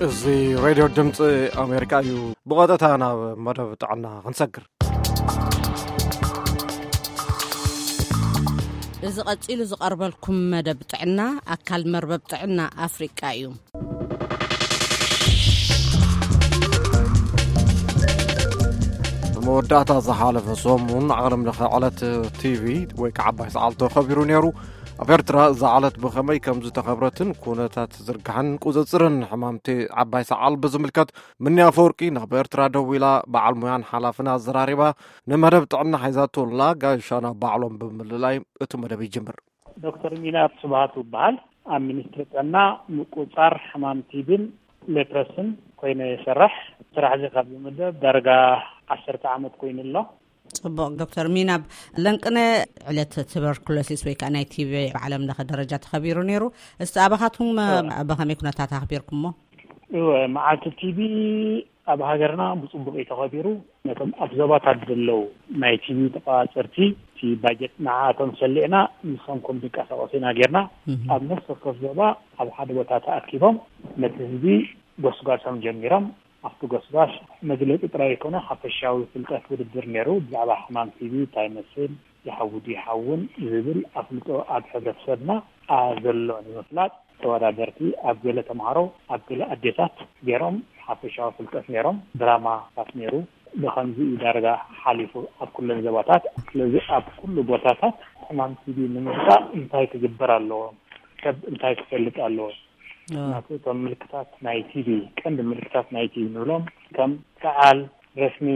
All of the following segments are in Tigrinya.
እዚ ሬድዮ ድምፂ ኣሜሪካ እዩ። ብቐጥታ ናብ መደብ ጥዕና ክንሰግር። እዚ ቀጺሉ ዝቐርበልኩም መደብ ጥዕና ኣካል መርበብ ጥዕና ኣፍሪቃ እዩ። ብመወዳእታ ዝሓለፈ ሰሙን ዓለም ለኸ ዕለት ቲቪ ወይ ከዓ ዓባይ ሰዓል ተኸቢሩ ነይሩ። ኣብ ኤርትራ እዛ ዕለት ብኸመይ ከም ዝተኸብረትን ኩነታት ዝርግሐን ቁፅፅርን ሕማምቲ ዓባይ ሰዓል ብዝምልከት፣ ምኒ ኣፈወርቂ ናብ ኤርትራ ደዊላ በዓል ሙያን ሓላፍን ኣዘራሪባ፣ ንመደብ ጥዕና ሓይዛቶላ ጋሻና ባዕሎም ብምልላይ እቲ መደብ ይጅምር። ዶክተር ሚናብ ስብሃቱ እበሃል። ኣብ ሚኒስትሪ ጥዕና ምቁጻር ሕማም ቲቢን ሌፕረስን ኮይነ ይሰርሕ። ስራሕ እዚ ካብ ዝምደብ ዳርጋ ዓሰርተ ዓመት ኮይኑ ኣሎ። ጽቡቕ። ዶክተር ሚናብ ለንቅነ፣ ዕለት ቱበርኩሎሲስ ወይ ከዓ ናይ ቲቢ ብዓለም ለኸ ደረጃ ተኸቢሩ ነይሩ። እስቲ ኣባኻትኩም ብኸመይ ኩነታት ኣኽቢርኩሞ? እወ፣ መዓልቲ ቲቢ ኣብ ሃገርና ብጽቡቕ እዩ ተኸቢሩ። ነቶም ኣብ ዞባታት ዘለዉ ናይ ቲቢ ተቋጸርቲ እቲ ባጀት ንዓኣቶም ሰሊዕና ንሶም ከም ዝንቀሳቐሱ ኢና ጌርና። ኣብ ነፍሲ ወከፍ ዞባ ኣብ ሓደ ቦታ ተኣኪቦም ነቲ ህዝቢ ጎስጓሶም ጀሚሮም። ኣብቲ ጎስጓስ መግለጺ ጥራይ ኣይኮነ፣ ሓፈሻዊ ፍልጠት ውድድር ነይሩ። ብዛዕባ ሕማም ቲቢ እንታይ ይመስል፣ ይሓዊ ድዩ ይሓውን ዝብል ኣፍልጦ ኣብ ሕብረተሰብና ኣሎ ንምፍላጥ ተወዳደርቲ ኣብ ገለ ተምሃሮ፣ ኣብ ገለ ኣዴታት ገይሮም ሓፈሻዊ ፍልጠት ነይሮም። ድራማታት ነይሩ። ብኸምዚ እዩ ዳርጋ ሓሊፉ ኣብ ኩለን ዞባታት። ስለዚ ኣብ ኩሉ ቦታታት ሕማም ቲቢ ንምግታእ እንታይ ክግበር ኣለዎ? ሰብ እንታይ ክፈልጥ ኣለዎ? ምክንያቱ እቶም ምልክታት ናይ ቲቢ፣ ቀንዲ ምልክታት ናይ ቲቢ ንብሎም ከም ሰዓል፣ ረስኒ፣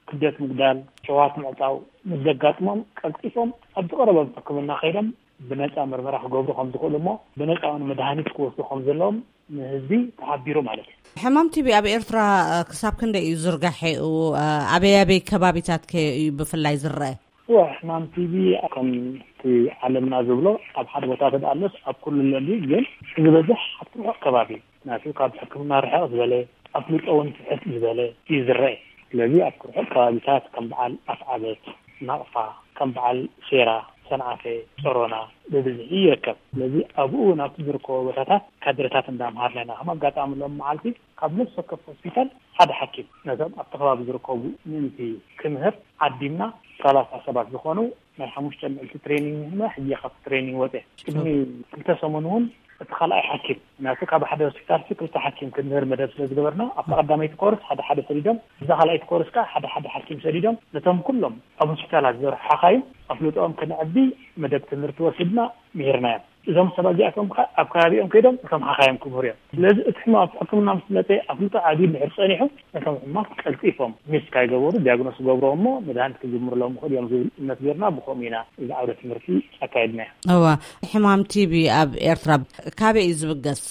ክብደት ምጉዳል፣ ሸዋት ምዕጻው ምስ ዘጋጥሞም ቀልጢፎም ኣብ ዝቐረቦም ሕክምና ከይዶም ብነጻ ምርመራ ክገብሩ ከም ዝኽእሉ እሞ ብነጻ እውን መድሃኒት ክወስዱ ከም ዘለዎም ንህዝቢ ተሓቢሩ ማለት እዩ። ሕማም ቲቢ ኣብ ኤርትራ፣ እ፣ ክሳብ ክንደይ እዩ ዝርጋሐኡ? እ፣ ኣበይ ኣበይ ከባቢታት ከ እዩ ብፍላይ ዝረአ? እወ፣ ሕማም ቲቢ ከምቲ ዓለምና ዝብሎ ኣብ ሓደ ቦታ ተደኣሎስ ኣብ ኩሉ ኣሎ እንድዩ፣ ግን ዝበዝሕ ኣብቲ ርሑቕ ከባቢ ናቱ ካብ ሕክምና ርሕቕ ዝበለ ኣፍልጦ እውን ትሕት ዝበለ እዩ ዝረአ። ስለዚ ኣብ ርሑቕ ከባቢታት ከም በዓል ኣፍዓበት፣ ናቕፋ፣ ከም በዓል ሴራ፣ ሰንዓፈ፣ ጾሮና ብብዝሒ ይርከብ። ስለዚ ኣብኡ ናብቲ ዝርከቦ ቦታታት ካድረታት እንዳምሃርና ኢና። ከም ኣጋጣሚ ሎም መዓልቲ ካብ ነፍሲ ወከፍ ሆስፒታል ሓደ ሓኪም ነቶም ኣብቲ ከባቢ ዝርከቡ ምእንቲ ክምህር ዓዲምና ሰላሳ ሰባት ዝኾኑ ናይ ሓሙሽተ መዓልቲ ትሬኒንግ ንህና ሕጂ ካብቲ ትሬኒንግ ወፀ። ቅድሚ ክልተ ሰሙን እውን እቲ ካልኣይ ሓኪም ናቱ ካብ ሓደ ሆስፒታል ሲ ክልተ ሓኪም ክንምህር መደብ ስለ ዝገበርና ኣብታ ቀዳመይቲ ኮርስ ሓደ ሓደ ሰዲዶም፣ እዛ ካልኣይቲ ኮርስ ከዓ ሓደ ሓደ ሓኪም ሰዲዶም ነቶም ኩሎም ኣብ ሆስፒታላት ዝሰርሑ ሓኻይም ኣፍልጦኦም ክነዕቢ መደብ ትምህርቲ ወሲድና ምሂርናዮም። እዞም ሰባት እዚኣቶም ከዓ ኣብ ከባቢኦም ከይዶም እቶም ሓኻይም ክምህሩ እዮም። ስለዚ እቲ ሕማም ኣብ ሕክምና ምስ መፀ ኣፍልጦ ዓብዩ እንድሕር ፀኒሑ ነቶም ሕማት ቀልጢፎም ሚስ ካይገበሩ ዲያግኖስ ክገብርዎ እሞ መድሃኒት ክጅምርሎም ይኽእሉ እዮም ዝብል እምነት ገይርና ብኸምኡ ኢና እዚ ዓውደ ትምህርቲ ኣካይድናዮ። እዋ፣ ሕማም ቲቢ ኣብ ኤርትራ ካበይ እዩ ዝብገስ?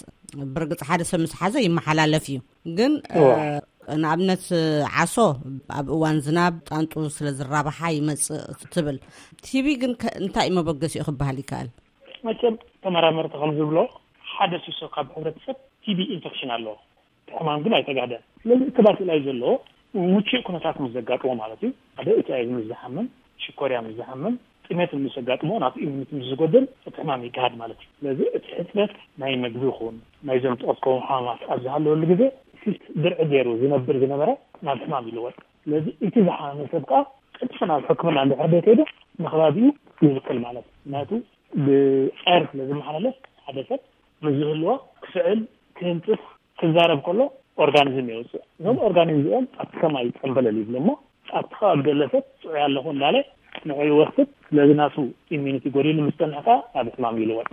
ብርግጽ ሓደ ሰብ ምስ ሓዘ ይመሓላለፍ እዩ። ግን፣ እዋ። እ፣ ንኣብነት ዓሶ ኣብ እዋን ዝናብ ጣንጡ ስለ ዝራባሓ ይመጽእ ትብል። ቲቢ ግን ከ-፣ እንታይ እዩ መበገሲኡ ክበሃል ይከኣል? መቸም ተመራመርቲ ከም ዝብሎ ሓደ ሲሶ ካብ ሕብረተሰብ ቲቢ ኢንፌክሽን ኣለዎ። እቲ ሕማም ግን ኣይተጋህደን። ስለዚ እቲ ባክቴርያ እዩ ዘለዎ ምቹእ ኩነታት ምስ ዘጋጥሞ ማለት እዩ። ሓደ ኤች ኣይ ቪ ምስ ዝሓምም፣ ሽኮርያ ምስ ዝሓምም፣ ጥሜት ምስ ዘጋጥሞ ናቱ ኢሚኒቲ ምስ ዝጎድል እቲ ሕማም ይጋሃድ ማለት እዩ። ስለዚ እቲ ሕፅረት ናይ መግቢ ይኹን ናይዞም ዝጠቀስኩም ሕማማት ኣብ ዝሃለወሉ ግዜ እቲ ድርዒ ገይሩ ዝነብር ዝነበረ ናብ ሕማም ይልወጥ። ስለዚ እቲ ዝሓመመ ሰብ ከዓ ቀልጢፉ ናብ ሕክምና እንድሕር ዘይከይዱ ንከባቢኡ ይብክል ማለት እዩ። ምክንያቱ ብኣየር ስለ ዝመሓላለፍ ሓደ ሰብ ምስ ዝህልዎ ክስዕል፣ ክህንፅፍ፣ ክዛረብ ከሎ ኦርጋኒዝም የውፅእ። እዞም ኦርጋኒዝም እዚኦም ኣብቲ ሰማይ ጠንበለል ይብሉ እሞ ኣብቲ ከባቢ ዘሎ ሰብ ጥዑይ ኣለኹ እንዳለ ንዑ ይወስድ። ስለዚ ናቱ ኢሚኒቲ ጎዲሉ ምስ ፀንሐ ከዓ ናብ ሕማም ይልወጥ።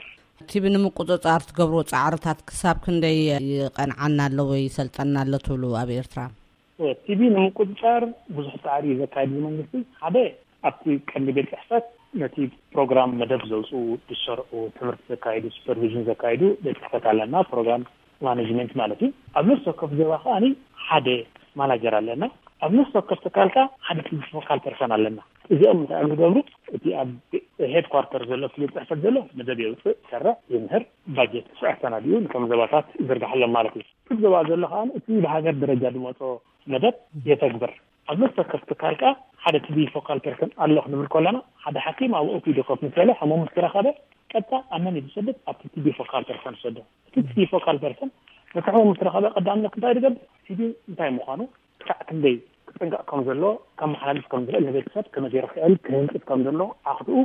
ቲቢ ንምቁፅፃር ትገብርዎ ፃዕርታት ክሳብ ክንደይ ይቐንዓና ኣሎ ወይ ይሰልጠና ኣሎ ትብሉ ኣብ ኤርትራ? ቲቢ ንምቁፅፃር ብዙሕ ፃዕሪ እዩ ዘካየድ እዚ መንግስቲ። ሓደ ኣብቲ ቀንዲ ቤት ፅሕፈት ነቲ ፕሮግራም መደብ ዘውፅኡ፣ ዝሰርዑ፣ ትምህርቲ ዘካይዱ፣ ሱፐርቪዥን ዘካይዱ ቤት ፅሕፈት ኣለና፣ ፕሮግራም ማኔጅመንት ማለት እዩ። ኣብ ነፍሲ ወከፍ ዞባ ከዓኒ ሓደ ማናጀር ኣለና። ኣብ ነፍሲ ወከፍ ትካል ከዓ ሓደ ቲቢ ፎካል ፐርሰን ኣለና። እዚኦም እንታይ እዮም ዝገብሩ? እቲ ኣብ ሄድኳርተር ዘሎ እቲ ቤት ፅሕፈት ዘሎ መደብ የውፅእ፣ ይሰርዕ፣ ይምህር፣ ባጀት ስርዓት ሰናዲኡ ነቶም ዞባታት ይዝርግሓሎም ማለት እዩ። እቲ ዞባ ዘሎ ከዓ እቲ ብሃገር ደረጃ ዝመፆ መደብ የተግብር። ኣብ ነፍሲ ወከፍ ትካል ከዓ ሓደ ቲቢ ፎካል ፐርሰን ኣሎ ክንብል ከለና ሓደ ሓኪም ኣብ ኦፒዲ ኮፍ ምስ በለ ሕሙም ምስ ተረኸበ ቀጥታ ኣብ መን እዩ ዝሰድድ? ኣብቲ ቲቢ ፎካል ፐርሰን ዝሰዶ። እቲ ቲቢ ፎካል ፐርሰን እቲ ሕሙም ምስ ረኸበ ቀዳምነት እንታይ ዝገብር? ቲቢ እንታይ ምዃኑ፣ ክሳዕ ክንደይ ክጥንቀቕ ከም ዘሎ፣ ከመሓላልፍ ከም ዝኽእል፣ ንቤተሰብ ከመይ ገይሩ ክዕል ክህንጽት ከም ዘሎ፣ ዓኽትኡ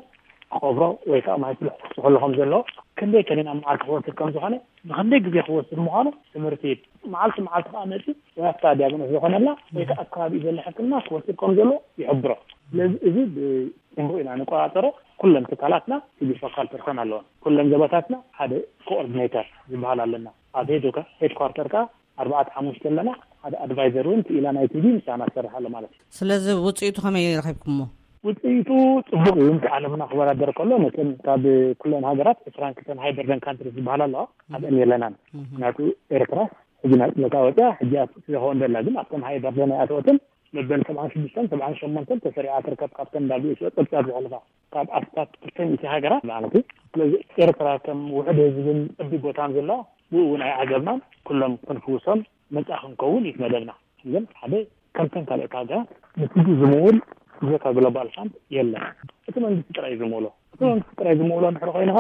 ክቐብሮ ወይ ከዓ ማይ ፍሉሕ ክስሕሉ ከም ዘሎ፣ ክንደይ ከኒን ኣብ መዓልቲ ክወስድ ከም ዝኾነ፣ ንክንደይ ግዜ ክወስድ ምዃኑ ትምህርቲ፣ መዓልቲ መዓልቲ ከዓ መፂ ወይ ኣብታ ዲያግኖስ ዝኾነላ ወይ ከዓ ኣብ ከባቢኡ ዘሎ ሕክምና ክወስድ ከም ዘሎ ይሕብሮ። ስለዚ እዚ ብፅቡቅ ኢና ንቆፃፀሮ። ኩለን ትካላትና ቲቢ ፎካል ፐርሰን ኣለወን። ኩለን ዘበታትና ሓደ ኮኦርዲኔተር ዝበሃል ኣለና። ኣብ ሄድ ሄድኳርተር ከዓ ኣርባዕተ ሓሙሽተ ኣለና። ሓደ ኣድቫይዘር እውን ክኢላ ናይ ቲቢ ምሳና ትሰርሕ ኣሎ ማለት እዩ። ስለዚ ውፅኢቱ ከመይ ረኺብኩሞ? ውፅኢቱ ፅቡቅ እዩ። ምስ ዓለምና ክወዳደር ከሎ፣ መቸም ካብ ኩለን ሃገራት ዕስራን ክልተን ሃይ በርደን ካንትሪ ዝበሃል ኣለዋ፣ ኣብአን የለናን። ምክንያቱ ኤርትራ ሕጂ ናፅነታ ወፅያ፣ ሕጂ ኣትክቲ ዘኸውን ዘላ፣ ግን ኣብተን ሃይ በርደን ኣይኣተወትን። መበል ሰብዓን ሽዱሽተን ሰብዓን ሸሞንተን ተሰሪዓ ትርከብ፣ ካብተን ዳብሊው ኤች ኦ ፀብፃብ ዘሕልፋ፣ ካብ ኣስታት ክልተ ሚእቲ ሃገራት ማለት እዩ። ስለዚ ኤርትራ ከም ውሕድ ህዝብን ዕቢ ቦታን ዘላ፣ ብኡ እውን ኣይዓገብናን። ኩሎም ክንፍውሶም ነፃ ክንከውን እዩ መደብና። ግን ሓደ ከምተን ካልኦት ሃገራት ንቲቢ ዝምውል ብዘካ ግሎባል ፋንድ የለን። እቲ መንግስቲ ጥራይ ዝምውሎ፣ እቲ መንግስቲ ጥራይ ዝምውሎ እንድሕር ኮይንኻ፣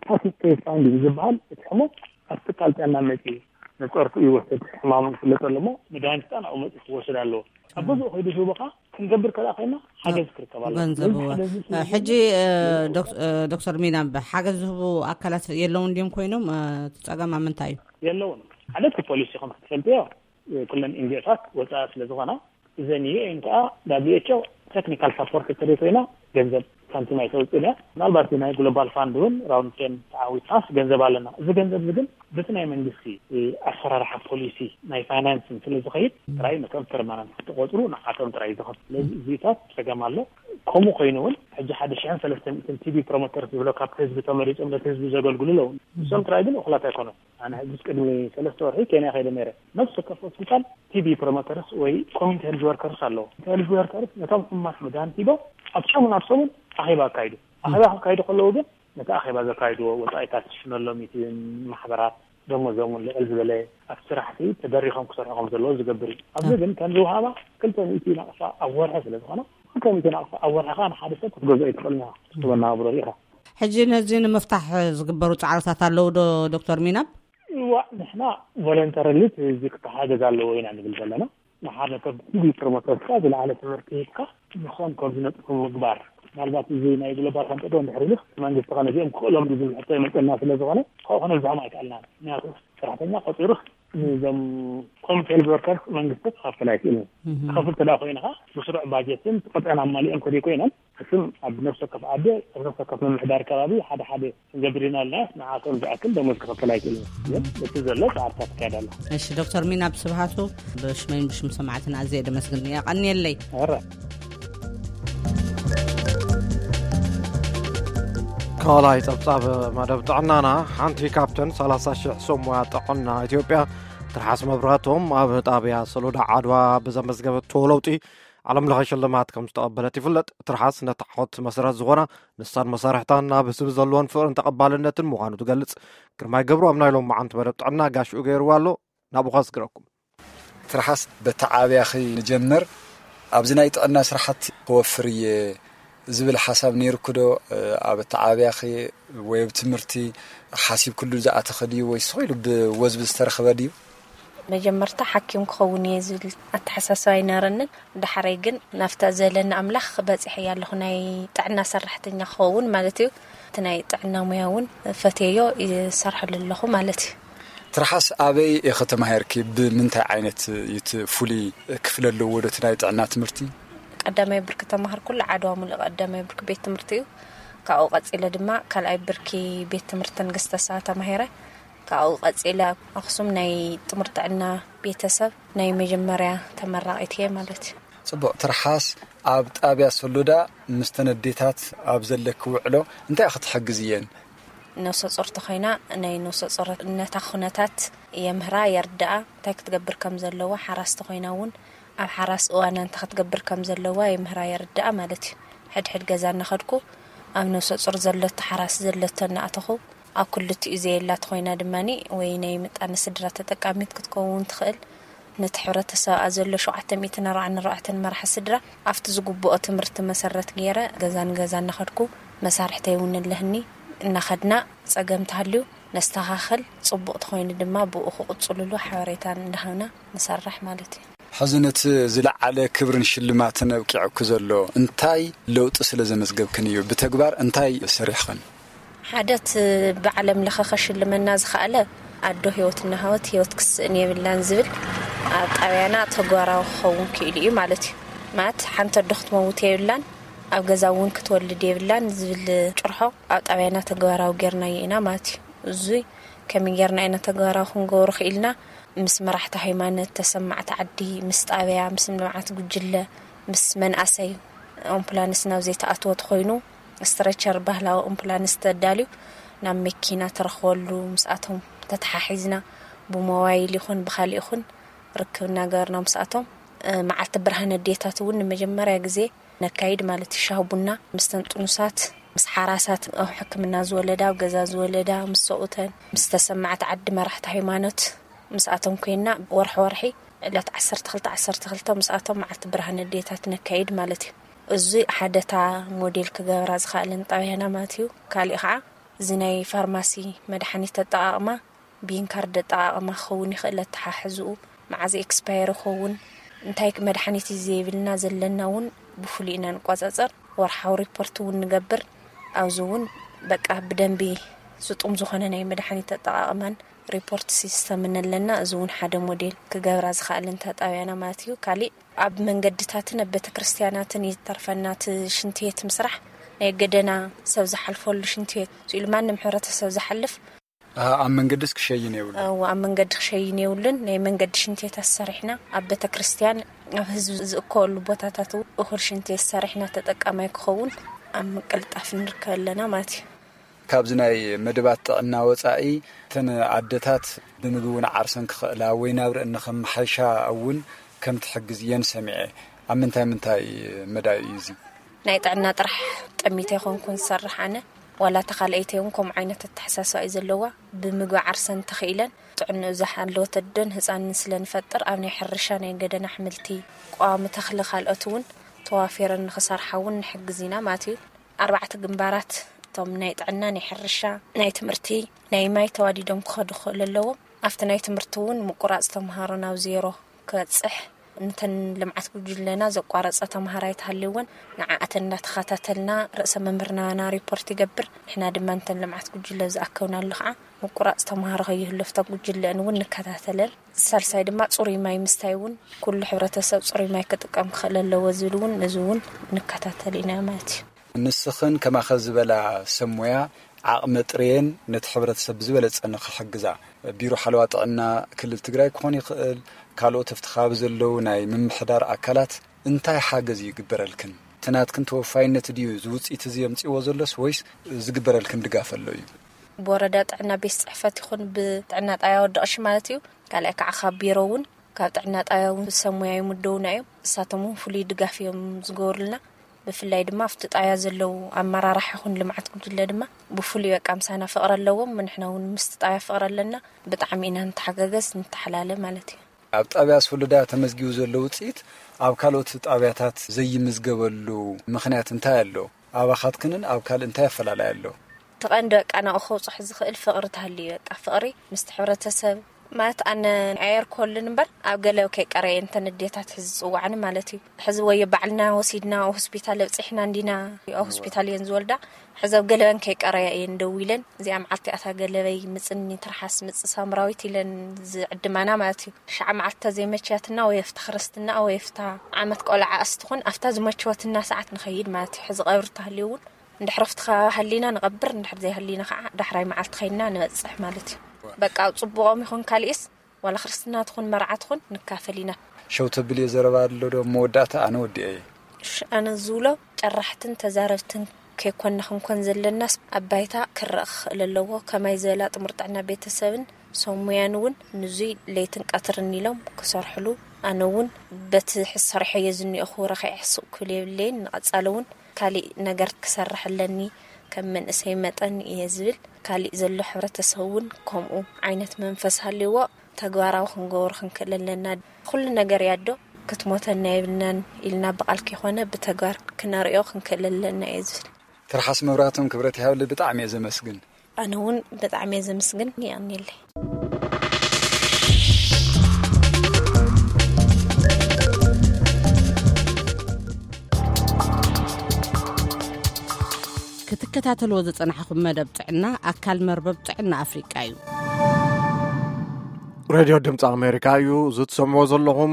ፓሲቭ ኬዝ ፋንድ እዩ ዝበሃል። እቲ ሕሙም ኣብ ትካል ጥዕና መፂኡ ንፀርፉ ይወስድ፣ ሕማሙ ይፍለጠሉ እሞ መድሃኒት ከዓ ናብኡ መፂኡ ክወስድ ኣለዎ። ኣብ ገዝኡ ከይዱ ዝህቦ ከዓ ክንገብር ከኣ ኮይና ሓገዝ ክርከብ ኣለዎ። ገንዘብ ስለዚ እወ። ሓደ ህዝቢ ሕጂ እ፣ ዶክ- እ፣ ዶክተር ሚና፣ ሓገዝ ዝህቡ ኣካላት የለውን ድዮም ኮይኖም? እ፣ እቲ ፀገም ኣብ ምንታይ እዩ? የለውን። ሓደ እቲ ፖሊሲ ከም ክትፈልጥዮ፣ እ፣ ኩለን ኤንጂኦታት ወፃኢ ስለ ዝኾና፣ እዘን ዩ ኤን ከዓ ዳብሊው ኤች ኦ ቴክኒካል ሳፖርት ትርኢ ኮይና ገንዘብ ሳንቲም ኣይተውፅእን እያ። ምናልባት ናይ ግሎባል ፋንድ እውን ራውንድ ቴን ተዓዊትናስ ገንዘብ ኣለና። እዚ ገንዘብ እዚ ግን በቲ ናይ መንግስቲ፣ እ፣ ኣሰራርሓ ፖሊሲ ናይ ፋይናንስን ስለ ዝኸይድ ጥራይ ነቶም ፐርማነንት ክትቆፅሩ ንዓቶም ጥራይ ዝኸፍል። ስለዚ እዚታት ፀገም ኣሎ። ከምኡ ኮይኑ እውን ሕጂ ሓደ ሽሕን ሰለስተ ሚእትን ቲቢ ፕሮሞተር ዝብሎ ካብቲ ህዝቢ ተመሪፆም ነቲ ህዝቢ ዘገልግሉ ኣለዉ። እሶም ጥራይ ግን እኹላት ኣይኮኑን። ኣነ ሕጂ ቅድሚ ሰለስተ ወርሒ ኬንያ ከይደ ነይረ። ነፍሲ ወከፍ ሆስፒታል ቲቢ ፕሮሞተርስ ወይ ኮሚኒቲ ሄልዝ ወርከርስ ኣለዎ። ሄልዝ ወርከርስ ነቶም ሕሙማት መድሃኒት ሂቦም ኣብ ሰሙን ኣብ ሰሙን ኣኼባ ኣካይዱ። ኣኼባ ከካይዱ ከለዉ ግን ነቲ ኣኼባ ዘካይድዎ ወጻኢታት ዝሽፍነሎም እቲ ማሕበራት ደሞዞም እውን ልዕል ዝበለ ኣብ ስራሕቲ ተደሪኾም ክሰርሑ ከም ዘለዎ ዝገብር እዩ። ኣብዚ ግን ከም ዝወሃባ ክልተ ሚእቲ ናቕፋ ኣብ ወርሒ ስለ ዝኾነ፣ ክልተ ሚእቲ ናቕፋ ኣብ ወርሒ ከዓ ንሓደ ሰብ ክትገዝኦ ኣይትኽእልን ኢኻ። ትህቦ ናብሮ ኢኻ። ሕጂ ነዚ ንምፍታሕ ዝግበሩ ጻዕርታት ኣለዉ ዶ ዶክተር ሚናብ? እዋ፣ ንሕና ቮለንተርሊ እዚ ክተሓገዝ ኣለዎ ኢና ንብል ዘለና። ንሓደ ሰብ ቲቢ ፕሮሞተርስ ዝለዓለ ትምህርቲ ሂብካ ንኾም ከም ዝነጥፉ ምግባር። ምናልባት እዚ ናይ ግሎባል ፈንጠዶ እንድሕር ኢሉ መንግስቲ ከ ነዚኦም ክኽእሎም ዝብል ሕቶ ይመፀና ስለ ዝኾነ፣ ካብኡ ክነብዝሖም ኣይከኣልናን። ምክንያቱ ሰራሕተኛ ቆፂሩ ንዞም ኮሚኒቲ ሄልዝ ወርከርስ መንግስቲ ክኸፍል ኣይክእልን። ክኸፍል ተዳ ኮይንኻ ብስሩዕ ባጀትን ቆፅዕን ኣማሊኦም ከደይ ኮይኖም፣ እሱም ኣብ ነፍሲ ወከፍ ዓዲ፣ ኣብ ነፍሲ ወከፍ ምምሕዳር ከባቢ ሓደ ሓደ ክንገብር ኢና ኣለና። ንዓቶም ዝኣክል ደሞዝ ክኸፍል ኣይክእልን። ግን እቲ ዘሎ ፃዕርታት ይካየድ ኣሎ። እሺ ዶክተር ሚናብ ስብሃቱ፣ ብሽመይን ብሽም ሰማዕትና ኣዝየ ደመስግን። የቐንየለይ። ኧረ። ካልኣይ ጸብጻብ መደብ ጥዕናና፣ ሓንቲ ካብተን ሰላሳ ሽሕ ሰብ ሞያ ጥዕና ኢትዮጵያ ትርሓስ መብራህቶም ኣብ ጣብያ ሰሎዳ ዓድዋ ብዘመዝገበቶ ለውጢ ዓለም ለኸ ሽልማት ከም ዝተቐበለት ይፍለጥ። ትርሓስ ነቲ ዓወት መሰረት ዝኾና ንሳን መሳርሕታን ናብ ህዝቢ ዘለዎን ፍቕርን ተቐባልነትን ምዃኑ ትገልጽ። ግርማይ ገብሩ ኣብ ናይ ሎም መዓንቲ መደብ ጥዕና ጋሽኡ ገይርዋ ኣሎ። ናብኡ ከስግረኩም። ትርሓስ፣ በቲ ዓብያኺ ንጀምር። ኣብዚ ናይ ጥዕና ስራሕቲ ክወፍር እየ ዝብል ሓሳብ ነይርኩ ዶ? ኣብ እቲ ዓብያኺ ወይ ኣብ ትምህርቲ ሓሲብክሉ ዝኣተኸ ድዩ፣ ወይ ስቕ ኢሉ ብወዝቢ ዝተረኸበ ድዩ? መጀመርታ ሓኪም ክኸውን እየ ዝብል ኣተሓሳስባ ኣይነበረንን። ዳሕረይ ግን ናብታ ዘለኒ ኣምላኽ በፂሐ ኣለኹ፣ ናይ ጥዕና ሰራሕተኛ ክኸውን ማለት እዩ። እቲ ናይ ጥዕና ሙያ እውን ፈትየዮ ይሰርሐሉ ኣለኹ ማለት እዩ። ትርሓስ፣ ኣበይ ኢኺ ተማሂርኪ? ብምንታይ ዓይነት እዩ እቲ ፍሉይ ክፍሊ ኣለዎ ዶ እቲ ናይ ጥዕና ትምህርቲ? ቀዳማይ ብርኪ ተማሃርኩሉ ዓድዋ ሙሉእ ቀዳማይ ብርኪ ቤት ትምህርቲ እዩ። ካብኡ ቀፂለ ድማ ካልኣይ ብርኪ ቤት ትምህርቲ ንግስተ ሳባ ተማሂረ። ካብኡ ቀፂለ ኣብ ኣኽሱም ናይ ጥሙር ጥዕና ቤተሰብ ናይ መጀመርያ ተመራቒት እየ ማለት እዩ። ጽቡቕ። ትርሓስ፣ ኣብ ጣብያ ሶሎዳ ምስተን ኣዴታት ኣብ ዘለኪ ውዕሎ እንታይ ኢኺ ትሕግዝየን? ነፍሰ ጾር ተኾይና ናይ ነፍሰ ጾርነታ ኩነታት የምህራ፣ የርድኣ፣ እንታይ ክትገብር ከም ዘለዋ፣ ሓራስ ተኾይና እውን ኣብ ሓራስ እዋና እንታይ ክትገብር ከም ዘለዋ የምህራ፣ የርድኣ ማለት እዩ። ሕድሕድ ገዛ እናኸድኩ ኣብ ነፍሰ ጾር ዘለቶ ሓራስ ዘለቶ እናኣተኹ ኣብ ክልቲኡ ዘየላ ተኾይና ድማኒ ወይ ናይ ምጣነ ስድራ ተጠቃሚት ክትከውን ትኽእል። ነቲ ሕብረተሰብኣ ዘሎ ሸውዓተ ሚእትን ኣርባዓን ኣርባዕተን መራሒ ስድራ ኣብቲ ዝግብኦ ትምህርቲ መሰረት ገይረ ገዛ ንገዛ እናኸድኩ መሳርሕተይ እውን ኣለህኒ እናኸድና ጸገም ተሃልዩ ነስተኻኸል፣ ጽቡቕ ተኾይኑ ድማ ብኡ ክቕጽሉሉ ሓበሬታን እንዳሃብና ንሰርሕ ማለት እዩ። ሕዚ ነቲ ዝለዓለ ክብርን ሽልማትን ኣብቂዕኩ ዘሎ እንታይ ለውጢ ስለ ዘመዝገብክን እዩ? ብተግባር እንታይ ሰሪሕኽን? ሓደት ብዓለም ለኸ ከሽልመና ዝኸኣለ ኣዶ ህይወት እናሃወት ህይወት ክስእን የብላን ዝብል ኣብ ጣብያና ተግባራዊ ክኸውን ክኢሉ እዩ ማለት እዩ። ማለት ሓንቲ ኣዶ ክትመውት የብላን፣ ኣብ ገዛ እውን ክትወልድ የብላን ዝብል ጭርሖ ኣብ ጣብያና ተግባራዊ ጌርናዮ ኢና ማለት እዩ። እዙይ ከመይ ጌርና ኢና ተግባራዊ ክንገብሮ ክኢልና? ምስ መራሕቲ ሃይማኖት፣ ተሰማዕቲ ዓዲ፣ ምስ ጣብያ፣ ምስ ልምዓት ጉጅለ፣ ምስ መንኣሰይ ኣምቡላንስ ናብ ዘይተኣትወ ተኾይኑ፣ ስትረቸር ባህላዊ ኣምቡላንስ ተዳልዩ ናብ መኪና ትረኽበሉ ምስኣቶም ተተሓሒዝና ብሞባይል ይኹን ብኻሊእ ይኹን ርክብ እናገበርና ምስኣቶም፣ እ፣ መዓልቲ ብርሃን ኣዴታት እውን ንመጀመርያ ግዜ ነካይድ ማለት እዩ። ሻሂ ቡና ምስተን ጥኑሳት፣ ምስ ሓራሳት፣ ኣብ ሕክምና ዝወለዳ፣ ኣብ ገዛ ዝወለዳ፣ ምስ ሰብኡተን፣ ምስ ተሰማዕቲ ዓዲ፣ መራሕቲ ሃይማኖት ምስኣቶም ኮይና ወርሒ ወርሒ ዕለት ዓሰርተ ክልተ ዓሰርተ ክልተ ምስኣቶም መዓልቲ ብርሃን ኣዴታት ነካይድ ማለት እዩ። እዚ ሓደታ ሞዴል ክገብራ ዝኸኣለን ጣብያና ማለት እዩ። ካሊእ ከዓ እዚ ናይ ፋርማሲ መድሓኒት ኣጠቓቕማ፣ ቢን ካርድ ኣጠቓቕማ ክኸውን ይኽእል፣ ኣተሓሕዝኡ መዓዝ ኤክስፓየር ይኸውን፣ እንታይ መድሓኒት እዩ ዘይብልና ዘለና እውን ብፍሉይ ኢና ንቆፃፀር። ወርሓዊ ሪፖርት እውን ንገብር። ኣብዚ እውን በቃ ብደንቢ ስጡም ዝኾነ ናይ መድሓኒት ኣጠቓቕማን ሪፖርት ሲስተምን ኣለና። እዚ እውን ሓደ ሞዴል ክገብራ ዝኸኣለን እታ ጣብያና ማለት እዩ። ካሊእ ኣብ መንገድታትን ኣብ ቤተክርስትያናትን ይተርፈና እቲ ሽንትቤት ምስራሕ፣ ናይ ገደና ሰብ ዝሓልፈሉ ሽንትቤት ስኢሉ ማንም ሕብረተሰብ ዝሓልፍ ኣብ መንገድስ ክሸይን የብሉ። ኣብ መንገዲ ክሸይን የብሉን። ናይ መንገዲ ሽንትቤታት ሰሪሕና ኣብ ቤተክርስትያን ኣብ ህዝቢ ዝእከበሉ ቦታታት እውን እኹል ሽንትቤት ሰሪሕና ተጠቃማይ ክኸውን ኣብ ምቅልጣፍ ንርከብ ኣለና ማለት እዩ። ካብዚ ናይ መደባት ጥዕና ወፃኢ እተን ኣደታት ብምግቢ እውን ዓርሰን ክኽእላ ወይ ናብ ርእኒ ከመሓይሻ እውን ከም ትሕግዝ እየን ሰሚዐ። ኣብ ምንታይ ምንታይ መዳይ እዩ እዚ? ናይ ጥዕና ጥራሕ ጠሚተ ይኾንኩን ዝሰርሕ ኣነ፣ ዋላ ተኻልአይተይ እውን ከምኡ ዓይነት ኣተሓሳስባ እዩ ዘለዋ። ብምግቢ ዓርሰን ተኽኢለን ጥዕንኡ ዝሓለወት ኣደን ህፃንን ስለ ንፈጥር ኣብ ናይ ሕርሻ ናይ ገደና ኣሕምልቲ፣ ቀዋሚ ተኽሊ ካልኦት እውን ተዋፊረን ንክሰርሓ እውን ንሕግዝ ኢና ማለት እዩ። ኣርባዕተ ግንባራት እቶም ናይ ጥዕና፣ ናይ ሕርሻ፣ ናይ ትምህርቲ፣ ናይ ማይ ተዋዲዶም ክኸዱ ክኽእሉ ኣለዎም። ኣብቲ ናይ ትምህርቲ እውን ምቁራፅ ተምሃሮ ናብ ዜሮ ክበፅሕ፣ ነተን ልምዓት ጉጅለና ዘቋረፀ ተምሃራይ ተሃልዩ እውን ንዓኣተን እናተኸታተልና ርእሰ መምህርናና ሪፖርት ይገብር። ንሕና ድማ ነተን ልምዓት ጉጅለ ዝኣከብናሉ ከዓ ምቁራፅ ተምሃሮ ከይህሉ ኣብታ ጉጅለአን እውን ንከታተለን። ሳልሳይ ድማ ፅሩይ ማይ ምስታይ እውን ኩሉ ሕብረተሰብ ፅሩይ ማይ ክጥቀም ክኽእል ኣለዎ ዝብል እውን እዚ እውን ንከታተል ኢና ማለት እዩ። ንስኽን ከማኸ ዝበላ ሰብ ሞያ ዓቕመ ጥርየን ነቲ ሕብረተሰብ ብዝበለፀ ንኽሕግዛ ቢሮ ሓለዋ ጥዕና ክልል ትግራይ ክኾን ይኽእል፣ ካልኦት ኣብቲ ከባቢ ዘለዉ ናይ ምምሕዳር ኣካላት እንታይ ሓገዝ ይግበረልክን? እቲ ናትክን ተወፋይነት ድዩ እዚ ውፅኢት እዚ የምፅእዎ ዘሎስ ወይስ ዝግበረልክን ድጋፍ ኣሎ እዩ? ብወረዳ ጥዕና ቤት ፅሕፈት ይኹን ብጥዕና ጣብያ ወዲ ቀሺ ማለት እዩ። ካልኣይ ከዓ ካብ ቢሮ እውን ካብ ጥዕና ጣብያ እውን ሰብ ሞያ ይምደቡና እዮም። እሳቶም እውን ፍሉይ ድጋፍ እዮም ዝገብሩልና። ብፍላይ ድማ ኣብቲ ጣብያ ዘለዉ ኣመራርሓ ይኹን ልምዓት ጉጅለ ድማ ብፍሉይ በቃ ምሳና ፍቕሪ ኣለዎም። ንሕና እውን ምስቲ ጣብያ ፍቕሪ ኣለና። ብጣዕሚ ኢና ንተሓጋገዝ፣ ንተሓላለ ማለት እዩ። ኣብ ጣብያ ሶሎዳ ተመዝጊቡ ዘሎ ውፅኢት ኣብ ካልኦት ጣብያታት ዘይምዝገበሉ ምኽንያት እንታይ ኣሎ? ኣባኻትክንን ኣብ ካልእ እንታይ ኣፈላላይ ኣሎ? እቲ ቀንዲ በቃ ናብኡ ከውፅሑ ዝኽእል ፍቕሪ ተሃልዩ እዩ። በቃ ፍቕሪ ምስቲ ሕብረተሰብ ማለት ኣነ ኣየርኮልን እምበር ኣብ ገለ ከይቀረየ እንተን ኣዴታት ሕዚ ዝፅዋዕኒ ማለት እዩ። ሕዚ ወዮ ባዕልና ወሲድና ኣብ ሆስፒታል ኣብፂሕና እንዲና ኣብ ሆስፒታል እየን ዝወልዳ። ሕዚ ኣብ ገለበን ከይቀረያ እየን ደዊለን፣ እዚኣ መዓልቲ ኣታ ገለበይ ምፅኒ ትርሓስ ምፅ ሳምራዊት ኢለን ዝዕድማና ማለት እዩ። ሻዓ መዓልቲ ተዘይመችያትና ወይ ኣብታ ክርስትና ወይ ኣብታ ዓመት ቆልዓ ኣስትኹን ኣብታ ዝመችወትና ሰዓት ንኸይድ ማለት እዩ። ሕዚ ቀብሪ ተሃልዩ እውን እንድሕር ኣብቲ ከባቢ ሃሊና ንቐብር፣ እንድሕር ዘይሃሊና ከዓ ዳሕራይ መዓልቲ ኸይድና ንበፅሕ ማለት እዩ። በቃ ኣብ ፅቡቖም ይኹን ካሊእስ ዋላ ክርስትና ትኹን መርዓ ትኹን ንካፈል ኢና። ሸው ተብል እየ ዘረባ ኣሎ ዶ? መወዳእታ ኣነ ወዲኤ እየ። እሺ፣ ኣነ ዝብሎ ጨራሕትን ተዛረብትን ከይኮንና ክንኮን ዘለናስ ኣብ ባይታ ክረኣ ክኽእል ኣለዎ። ከማይ ዝበላ ጥሙር ጥዕና ቤተሰብን ሰብ ሙያን እውን ንዙይ ለይትን ቀትርን ኢሎም ክሰርሕሉ፣ ኣነ እውን በቲ ሕዚ ሰሪሐዮ ዝኒኦኹ ረኺዐ ስቕ ክብል የብለይን። ንቐፃሊ እውን ካሊእ ነገር ክሰርሕ ኣለኒ ከም መንእሰይ መጠን እየ ዝብል። ካሊእ ዘሎ ሕብረተሰብ እውን ከምኡ ዓይነት መንፈስ ሃልይዎ ተግባራዊ ክንገብሮ ክንክእል ኣለና። ኩሉ ነገር ያዶ ክትሞተና የብልናን ኢልና ብቓል ከይኮነ ብተግባር ክነርእዮ ክንክእል ኣለና እየ ዝብል። ትርሓስ መብራህቶም ክብረት ይሃብሊ፣ ብጣዕሚ እየ ዘመስግን። ኣነ እውን ብጣዕሚ እየ ዘመስግን። የቐንየለይ። ክትከታተልዎ ዝጸናሕኹም መደብ ጥዕና ኣካል መርበብ ጥዕና ኣፍሪቃ እዩ። ሬድዮ ድምፂ ኣሜሪካ እዩ። እዚ ትሰምዕዎ ዘለኹም